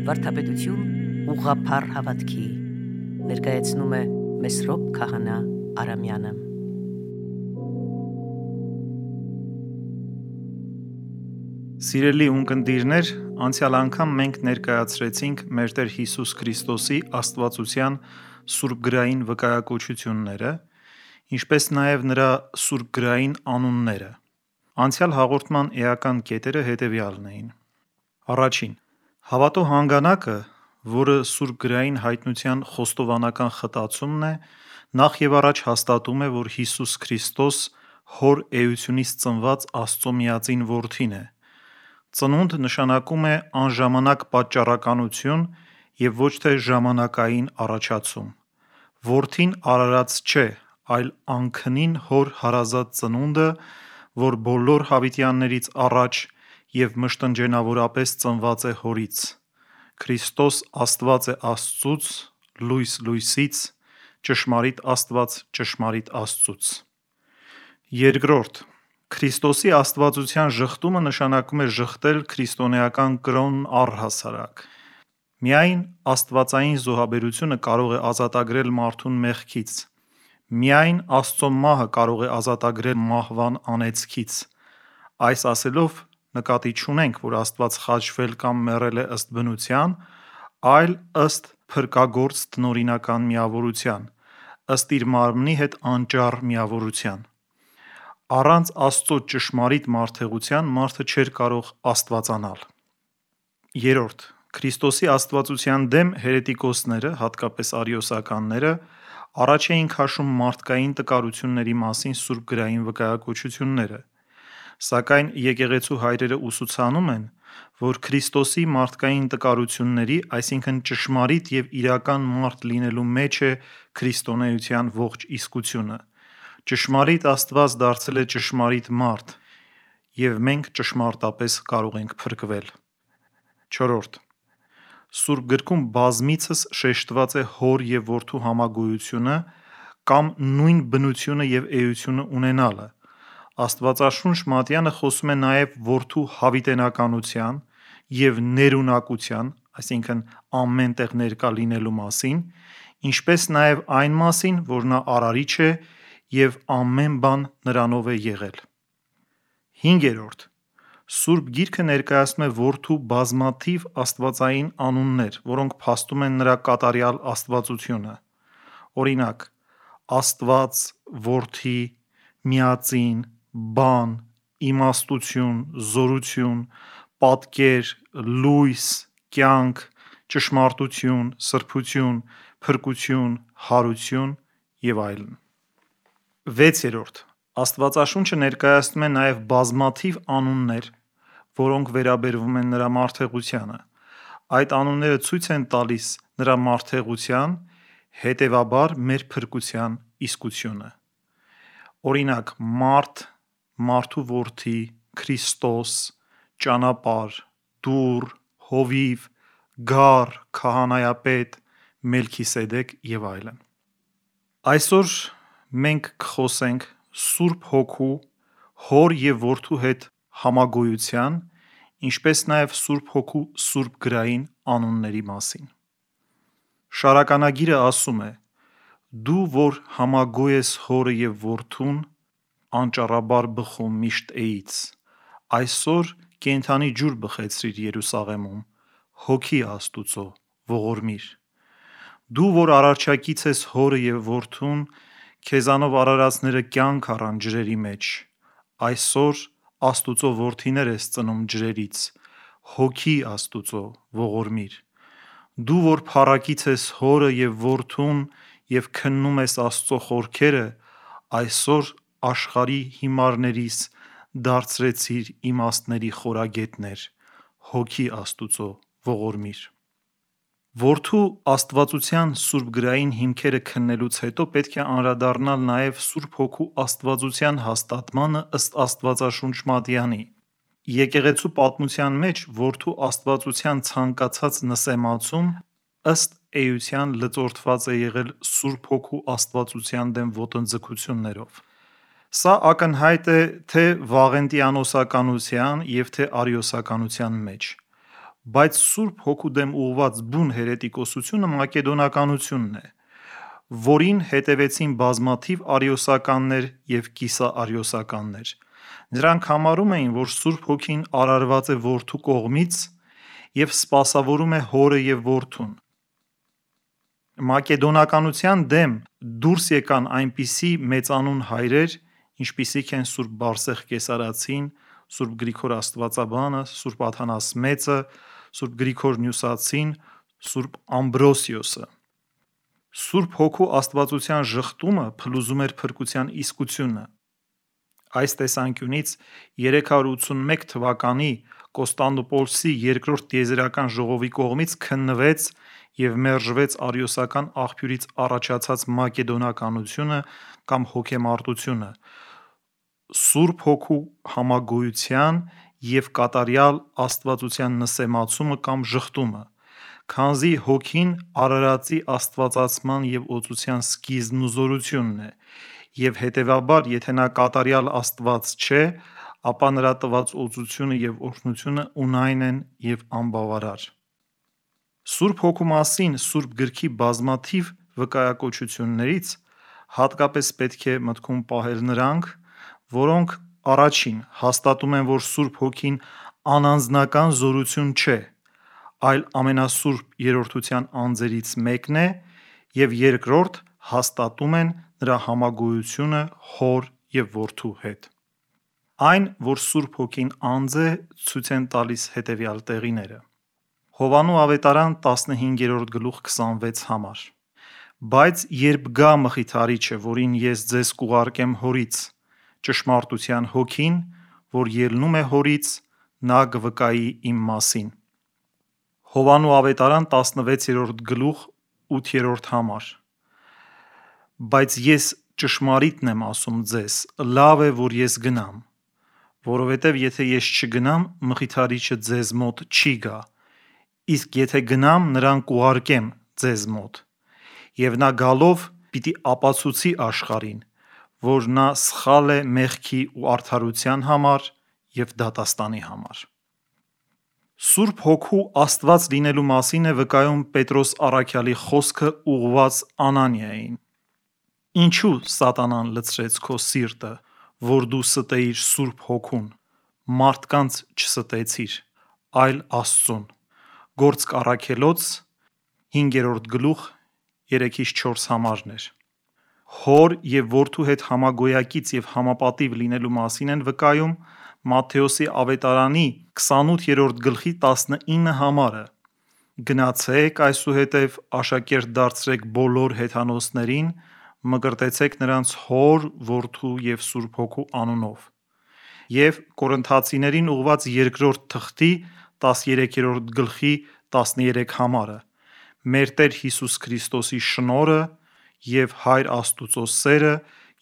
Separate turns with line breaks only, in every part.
Վարդապետություն ուղղափառ հավատքի ներկայացնում է Մեսրոպ Քահանա Արամյանը։
Սիրելի ունկնդիրներ, անցյալ անգամ մենք ներկայացրեցինք մեր Տեր Հիսուս Քրիստոսի աստվածության սուրբգրային վկայակոչությունները, ինչպես նաև նրա սուրբգրային անունները։ Անցյալ հաղորդման էական կետերը հետևյալն էին. Առաջին. հավատո հանգանակը, որը սուրբգրային հայտնության խոստովանական խտացումն է, նախ և առաջ հաստատում է, որ Հիսուս Քրիստոս Հոր էությունից ծնված Աստծո միածին որդին է։ Ծնունդ նշանակում է անժամանակ պատճառականություն և ոչ թե ժամանակային առաջացում։ Որդին արարած չէ, այլ անքնին Հոր հարազատ ծնունդը, որ բոլոր հավիտյաններից առաջ և մշտնջենավորապես ծնված է Հորից։ Քրիստոս Աստված է Աստծուց, լույս լույսից, ճշմարիտ Աստված ճշմարիտ Աստծուց։ Երկրորդ. Քրիստոսի աստվածության ժխտումը նշանակում է ժխտել քրիստոնեական կրոնն առհասարակ։ Միայն աստվածային զոհաբերությունը կարող է ազատագրել մարդուն մեղքից։ Միայն Աստծո մահը կարող է ազատագրել մահվան անեծքից։ Այս ասելով նկատի չունենք, որ Աստված խաչվել կամ մեռել է ըստ բնության, այլ ըստ փրկագործ տնօրինական միավորության, ըստ իր մարմնի հետ անճառ միավորության։ Առանց Աստծո ճշմարիտ մարդեղության մարդը չէր կարող աստվածանալ։ Երրորդ. Քրիստոսի աստվածության դեմ հերետիկոսները, հատկապես արիոսականները, առաջ էին քաշում մարդկային տկարությունների մասին սուրբգրային վկայակոչությունները, սակայն եկեղեցու հայրերը ուսուցանում են, որ Քրիստոսի մարդկային տկարությունների, այսինքն ճշմարիտ և իրական մարդ լինելու մեջ է քրիստոնեության ողջ իսկությունը։ Ճշմարիտ Աստված դարձել է ճշմարիտ մարդ, և մենք ճշմարտապես կարող ենք փրկվել։ Չորրորդ. Սուրբ գրքում բազմիցս շեշտված է Հոր և Որդու համագոյությունը կամ նույն բնությունը և էությունը ունենալը։ Աստվածաշունչ Մատյանը խոսում է նաև Որդու հավիտենականության և ներունակության, այսինքն ամեն տեղ ներկա լինելու մասին, ինչպես նաև այն մասին, որ նա արարիչ է և ամեն բան նրանով է եղել։ Հինգերորդ. Սուրբ Գիրքը ներկայացնում է Որդու բազմաթիվ աստվածային անուններ, որոնք փաստում են նրա կատարյալ աստվածությունը։ Օրինակ՝ Աստված, Որդի, Միածին, Բան, Իմաստություն, Զորություն, Պատկեր, Լույս, Կյանք, Ճշմարտություն, Սրբություն, Փրկություն, Հարություն և այլն։ Վեցերորդ. Աստվածաշունչը ներկայացնում է նաև բազմաթիվ անուններ, որոնք վերաբերվում են նրա մարդեղությանը։ Այդ անունները ցույց են տալիս նրա մարդեղության, հետևաբար մեր փրկության իսկությունը։ Օրինակ՝ Մարդ, Մարդու Որդի, Քրիստոս, Ճանապարհ, Դուռ, Հովիվ, Գառ, Քահանայապետ, Մելքիսեդեկ և այլն։ Այսօր մենք կխոսենք Սուրբ Հոգու, Հոր և Որդու հետ համագոյության, ինչպես նաև Սուրբ Հոգու սուրբգրային անունների մասին։ Շարականագիրը ասում է. «Դու, որ համագոյ ես Հորը և Որդուն, անճառաբար բխում միշտ էից, այսօր կենդանի ջուր բխեցրիր Երուսաղեմում, Հոգի Աստուծո ողորմիր։ Դու, որ արարչակից ես Հորը և Որդուն, քեզանով արարածները կյանք առան ջրերի մեջ, այսօր Աստուծո որդիներ ես ծնում ջրերից, Հոգի Աստուծո ողորմիր։ Դու, որ փառակից ես Հորը և Որդուն և քննում ես Աստծո խորքերը, այսօր աշխարհի հիմարներիս դարձրեցիր իմաստների խորագետներ, Հոգի Աստուծո ողորմիր»։ Որդու աստվածության սուրբգրային հիմքերը քննելուց հետո պետք է անդրադառնալ նաև Սուրբ Հոգու աստվածության հաստատմանը ըստ Աստվածաշունչ Մատյանի։ Եկեղեցու պատմության մեջ Որդու աստվածության ցանկացած նսեմացում ըստ էության լծորդված է եղել Սուրբ Հոգու աստվածության դեմ ոտնձգություններով։ Սա ակնհայտ է թե Վաղենտիանոսականության և թե արիոսականության մեջ։ Բայց Սուրբ Հոգու դեմ ուղղված բուն հերետիկոսությունը մակեդոնականությունն է, որին հետևեցին բազմաթիվ արիոսականներ և կիսաարիոսականներ։ Նրանք համարում էին, որ Սուրբ Հոգին արարված է Որդու կողմից և սպասավորում է Հորը և Որդուն։ Մակեդոնականության դեմ դուրս եկան այնպիսի մեծանուն հայրեր, ինչպիսիք են Սուրբ Բարսեղ Կեսարացին, Սուրբ Գրիգոր Աստվածաբանը, Սուրբ Աթանաս Մեծը, Սուրբ Գրիգոր Նյուսացին, Սուրբ Ամբրոսիոսը։ Սուրբ Հոգու աստվածության ժխտումը փլուզում էր փրկության իսկությունը։ Այս տեսանկյունից 381 թվականի Կոստանդնուպոլսի երկրորդ տիեզերական ժողովի կողմից քննվեց և մերժվեց արիոսական աղբյուրից առաջացած մակեդոնականությունը կամ հոգեմարտությունը, Սուրբ Հոգու համագոյության և կատարյալ աստվածության նսեմացումը կամ ժխտումը, քանզի Հոգին արարածի աստվածացման և օծության սկիզբն ու զորությունն է, և հետևաբար եթե նա կատարյալ Աստված չէ, ապա նրա տված օծությունը և օրհնությունը ունայն են և անբավարար։ Սուրբ Հոգու մասին Սուրբ Գրքի բազմաթիվ վկայակոչություններից հատկապես պետք է մտքում պահել նրանք, որոնք առաջին հաստատում են, որ Սուրբ Հոգին անանձնական զորություն չէ, այլ ամենասուրբ երրորդության անձերից մեկն է, և երկրորդ հաստատում են նրա համագոյությունը Հոր և Որդու հետ։ Այն, որ Սուրբ Հոգին անձ է, ցույց են տալիս հետևյալ տեղիները. Հովհաննես ավետարան 15:26 Բայց երբ գա Մխիթարիչը, որին ես ձեզ կուղարկեմ Հորից, ճշմարտության Հոգին, որ ելնում է Հորից, նա կվկայի իմ մասին։ Հովհաննես ավետարան 16:8 Բայց ես ճշմարիտն եմ ասում ձեզ, լավ է, որ ես գնամ, որովհետև եթե ես չգնամ, Մխիթարիչը ձեզ մոտ չի գա, իսկ եթե գնամ, նրան կուղարկեմ ձեզ մոտ, և նա գալով պիտի ապացուցի աշխարհին, որ նա սխալ է մեղքի ու արդարության համար և դատաստանի համար։ Սուրբ Հոգու Աստված լինելու մասին է վկայում Պետրոս առաքյալի խոսքը ուղղված Անանիային. Ինչու սատանան լցրեց քո սիրտը, որ դու ստեիր Սուրբ Հոգուն, մարդկանց չստեցիր, այլ Աստծուն։ Գործք Առաքելոց 5:3-4 Հոր և Որդու հետ համագոյակից և համապատիվ լինելու մասին են վկայում Մատթեոսի ավետարանի 28:19 Գնացեք այսուհետև աշակերտ դարձրեք բոլոր հեթանոսներին, մկրտեցեք նրանց Հոր, Որդու և Սուրբ Հոգու անունով։ Եվ Կորնթացիներին ուղղված 2-րդ թղթի 13:13 Մեր Տեր Հիսուս Քրիստոսի շնորհը և Հայր Աստուծո սերը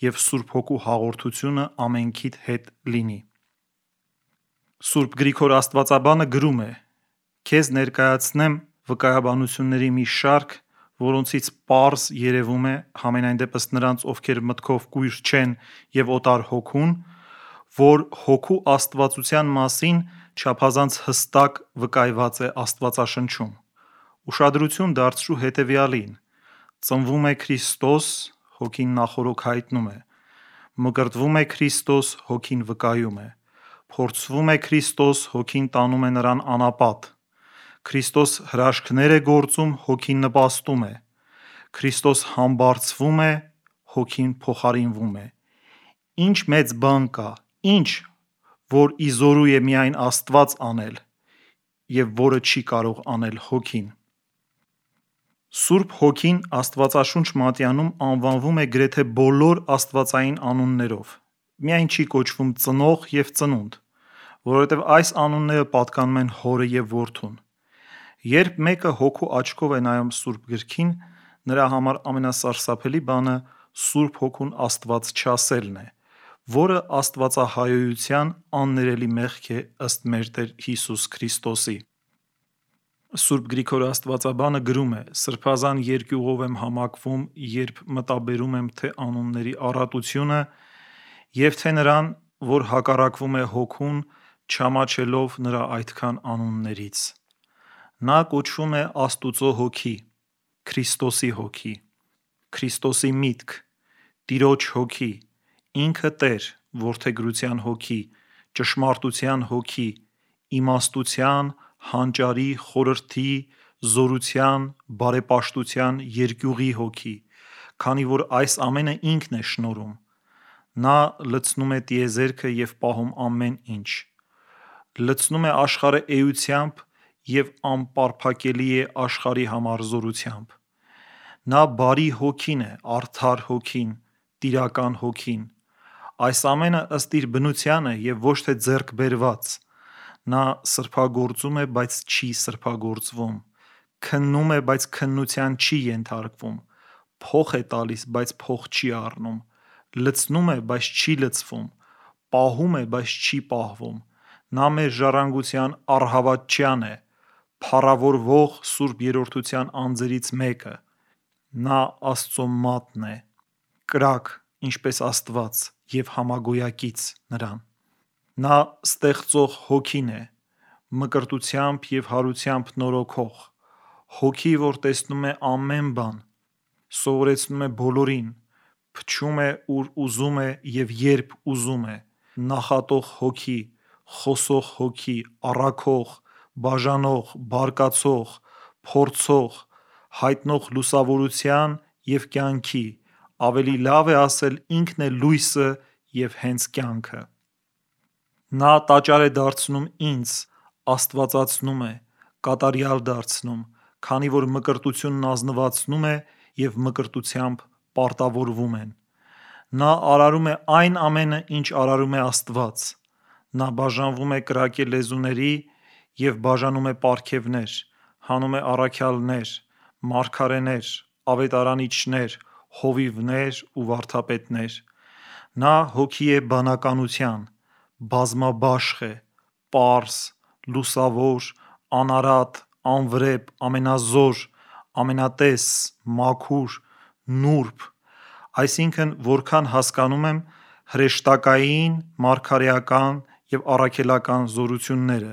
և Սուրբ Հոգու հաղորդությունը ամենքիդ հետ լինի։ Սուրբ Գրիգոր Աստվածաբանը գրում է. Քեզ ներկայացնեմ վկայաբանությունների մի շարք, որոնցից պարզ երևում է, համենայնդեպս նրանց, ովքեր մտքով կույր չեն և օտար հոգուն, որ Հոգու աստվածության մասին չափազանց հստակ վկայված է Աստվածաշնչում։ Ուշադրություն դարձրու հետևյալին. ծնվում է Քրիստոս, Հոգին նախօրոք հայտնում է, մկրտվում է Քրիստոս, Հոգին վկայում է, փորձվում է Քրիստոս, Հոգին տանում է նրան անապատ, Քրիստոս հրաշքներ է գործում, Հոգին նպաստում է, Քրիստոս համբարձվում է, Հոգին փոխարինվում է։ Ինչ մեծ բան կա, ինչ, որ ի զորու է միայն Աստված անել, և որը չի կարող անել Հոգին։ Սուրբ Հոգին Աստվածաշունչ մատյանում անվանվում է գրեթե բոլոր աստվածային անուններով, միայն չի կոչվում Ծնող և Ծնունդ, որովհետև այս անունները պատկանում են Հորը և Որդուն։ Երբ մեկը հոգու աչքով է նայում Սուրբ Գրքին, նրա համար ամենասարսափելի բանը Սուրբ Հոգուն Աստված չասելն է, որը աստվածահայոյության աններելի մեղք է ըստ մեր Տեր Հիսուս Քրիստոսի։ Սուրբ Գրիգոր Աստվածաբանը գրում է. Սրբազան երկյուղով եմ համակվում, երբ մտաբերում եմ թե անունների առատությունը և թե նրան, որ հակառակվում է Հոգուն, չամաչելով նրա այդքան անուններից։ Նա կոչվում է Աստուծո հոգի, Քրիստոսի հոգի, Քրիստոսի միտք, Տիրոջ հոգի, ինքը Տեր, որդեգրության հոգի, ճշմարտության հոգի, իմաստության, հանճարի, խորհրդի, զորության, բարեպաշտության, երկյուղի հոգի, քանի որ այս ամենը ինքն է շնորհում։ Նա լցնում է տիեզերքը և պահում ամեն ինչ, լցնում է աշխարհը էությամբ և անպարփակելի է աշխարհի համար զորությամբ։ Նա բարի հոգին է, արդար հոգին, տիրական հոգին։ Այս ամենը ըստ իր բնությանը և ոչ թե ձեռք բերված։ Նա սրբագործում է, բայց չի սրբագործվում, քննում է, բայց քննության չի ենթարկվում, փոխ է տալիս, բայց փող չի առնում, լցնում է, բայց չի լցվում, պահում է, բայց չի պահվում։ Նա մեր ժառանգության առհավատչյան է, փառավորվող Սուրբ Երրորդության անձերից մեկը։ Նա Աստծո մատն է, կրակ, ինչպես Աստված, և համագոյակից նրան։ Նա ստեղծող հոգին է, մկրտությամբ և հարությամբ նորոգող, հոգի, որ տեսնում է ամեն բան, սովորեցնում է բոլորին, փչում է, ուր ուզում է և երբ ուզում է, նախատող հոգի, խոսող հոգի, առաքող, բաժանող, բարկացող, փորձող, հայտնող լուսավորության և կյանքի, ավելի լավ է ասել ինքն է լույսը և հենց կյանքը։ Նա տաճար է դարձնում ինձ, աստվածացնում է, կատարյալ դարձնում, քանի որ մկրտությունն ազնվացնում է և մկրտությամբ պարտավորվում են։ Նա արարում է այն ամենը, ինչ արարում է Աստված։ Նա բաժանվում է կրակե լեզուների և բաժանում է պարգևներ, հանում է առաքյալներ, մարգարեներ, ավետարանիչներ, հովիվներ ու վարդապետներ։ Նա հոգի է բանականության, բազմաբաշխ է, պարզ, լուսավոր, անարատ, անվրեպ, ամենազոր, ամենատես, մաքուր, նուրբ, այսինքն՝ որքան հասկանում եմ, հրեշտակային, մարգարեական և առաքելական զորությունները։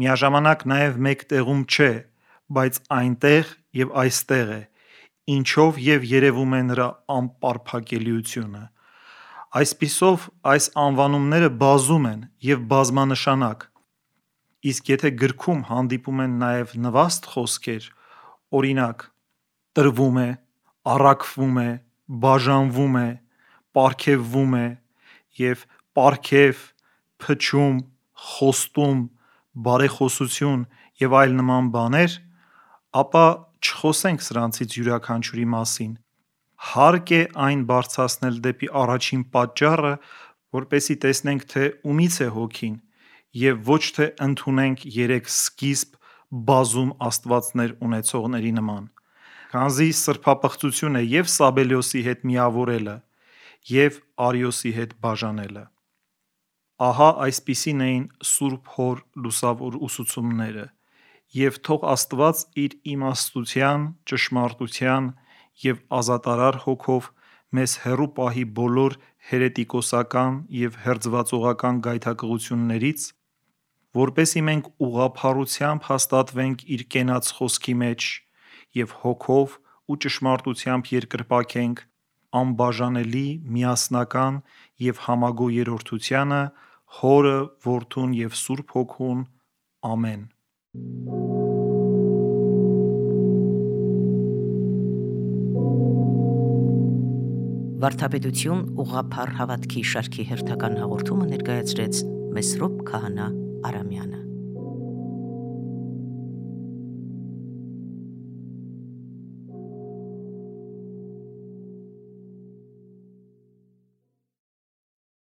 Միաժամանակ նաև մեկ տեղում չէ, բայց այնտեղ և այստեղ է, ինչով և երևում է նրա անպարփակելիությունը։ Այսպիսով, այս անվանումները բազում են և բազմանշանակ, իսկ եթե գրքում հանդիպում են նաև նվաստ խոսքեր, օրինակ՝ տրվում է, առաքվում է, բաժանվում է, պարգևվում է և պարգև, փչում, խոստում, բարեխոսություն և այլ նման բաներ, ապա չխոսենք սրանցից յուրաքանչյուրի մասին։ Հարկ է այն բարձրացնել դեպի առաջին պատճառը, որպեսզի տեսնենք, թե ումից է հոգին, և ոչ թե ընդունենք երեք սկիզբ բազում աստվածներ ունեցողների նման։ Քանզի սրբապղծություն է և Սաբելիոսի հետ միավորելը, և Արիոսի հետ բաժանելը։ Ահա այսպիսին էին Սուրբ Հոր լուսավոր ուսուցումները, և թող Աստված իր իմաստության, ճշմարտության և ազատարար հոգով մեզ հեռու պահի բոլոր հերետիկոսական և հերձվածողական գայթակղություններից, որպեսզի մենք ուղղափառությամբ հաստատվենք իր կենաց խոսքի մեջ և հոգով ու ճշմարտությամբ երկրպագենք անբաժանելի, միասնական և համագոյ Երրորդությանը՝ Հորը, Որդուն և Սուրբ Հոգուն։ Ամեն։
Վարդապետություն ուղղափառ հավատքի շարքի հերթական հաղորդումը ներկայացրեց Մեսրոպ Քահանա Արամյանը։